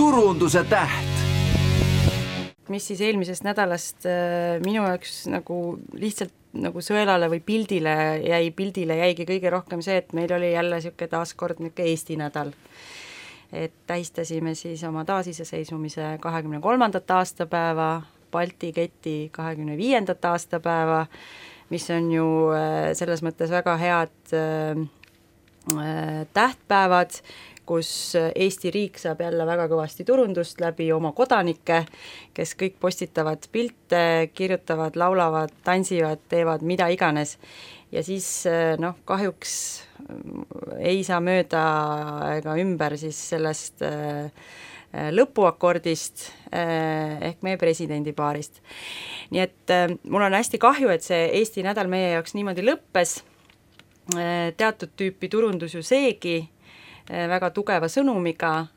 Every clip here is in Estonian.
turunduse täht. Mis siis eelmisest nädalast minu jaoks nagu lihtsalt nagu sõelale või pildile jäigi kõige rohkem see, et meil oli jälle siuke taaskord niuke Eesti nädal. Et tähistasime siis oma taasiseseisvumise 23. aastapäeva, Balti keti 25. aastapäeva, mis on ju selles mõttes väga head tähtpäevad, kus Eesti riik saab jälle väga kõvasti turundust läbi oma kodanike, kes kõik postitavad pilte, kirjutavad, laulavad, tansivad, teevad mida iganes. Ja siis kahjuks ei saa mööda ega ümber siis sellest lõpuakordist ehk meie presidendipaarist. Nii et mul on hästi kahju, et see Eesti nädal meie jaoks niimoodi lõppes. Teatud tüüpi turundus ju seegi, väga tugeva sõnumiga,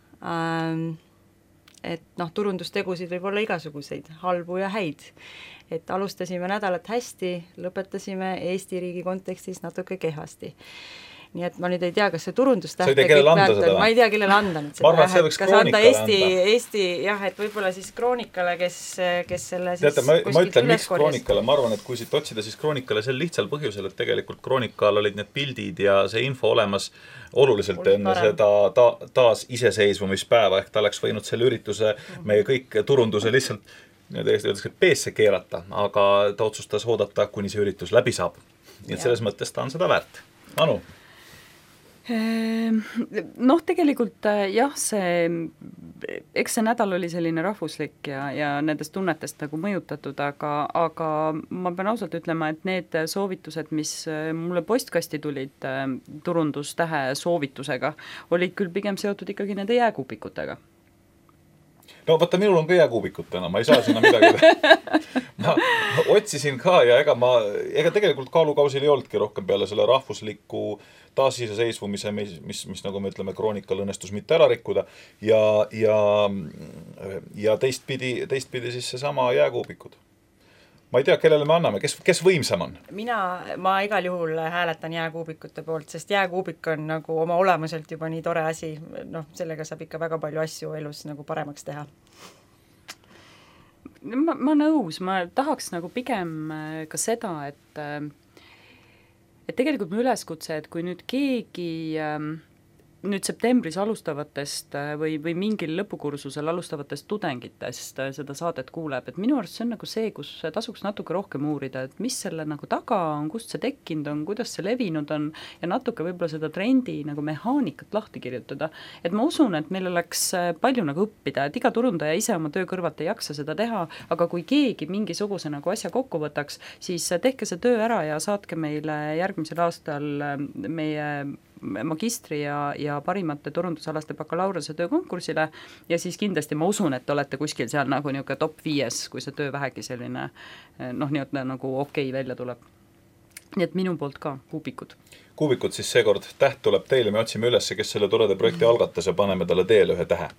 et turundustegusid võib olla igasuguseid, halbu ja häid. Et alustasime nädalat hästi, lõpetasime Eesti riigi kontekstis natuke kehvasti. Nii et ma nüüd ei tea, kas see turundustähte kõik väärtab, ma ei tea, kellele anda nüüd seda. Ma arvan, et see võiks Kroonikale anda. Eesti, jah, et võib-olla siis Kroonikale, kes selle siis teate, ma ütlen, miks Kroonikale, ma arvan, et kui siit otsida, siis Kroonikale sel lihtsal põhjusel, et tegelikult Kroonikal olid need pildid ja see info olemas oluliselt enne seda taas iseseisvumispäeva, ehk ta oleks võinud selle ürituse meie kõik turunduse lihtsalt peesse keerata, aga ta otsustas oodata, kuni see üritus läbi saab. Nii et selles mõttes ta on seda väärt. Anu? Tegelikult jah, eks see nädal oli selline rahvuslik ja nendest tunnetest nagu mõjutatud, aga ma pean ausalt ütlema, et need soovitused, mis mulle postkasti tulid turundustähe soovitusega, olid küll pigem seotud ikkagi nende jääkuupikutega. No vaata, minul on ka jääkuubikut täna, ma ei saa sinna midagi. Ma otsisin ka ja ega tegelikult kaalukausil ei olnudki rohkem peale selle rahvusliku taasiseseisvumise, mis nagu me ütleme, Kroonikal õnnestus mitte ära rikkuda ja teistpidi siis seesama jääkuubikud. Ma ei tea, kellele me anname, kes võimsam on? Ma igal juhul hääletan jääkuubikute poolt, sest jääkuubik on nagu oma olemuselt juba nii tore asi, sellega saab ikka väga palju asju elus nagu paremaks teha. Ma nõus, ma tahaks nagu pigem ka seda, et tegelikult mu üleskutse, et kui nüüd keegi nüüd septembris alustavatest või mingil lõpukursusel alustavatest tudengitest seda saadet kuuleb, et minu arust see on nagu see, kus tasuks natuke rohkem uurida, et mis selle nagu taga on, kust see tekkinud on, kuidas see levinud on ja natuke võib-olla seda trendi nagu mehaanikat lahti kirjutada. Et ma usun, et meil oleks palju nagu õppida, et iga turundaja ise oma töö kõrvalt ei jaksa seda teha, aga kui keegi mingisuguse nagu asja kokku võtaks, siis tehke see töö ära ja saatke meile järgmisel aastal meie magistri ja parimate turundusalaste bakalaureuse töökonkursile ja siis kindlasti ma usun, et olete kuskil seal nagu niuke top 5, kui see töö vähegi selline nagu okei välja tuleb. Nii et minu poolt ka kuubikud. Kuubikud siis seekord täht tuleb teile, me otsime üles, kes selle toreda projekti algatas ja paneme talle teele ühe tähe.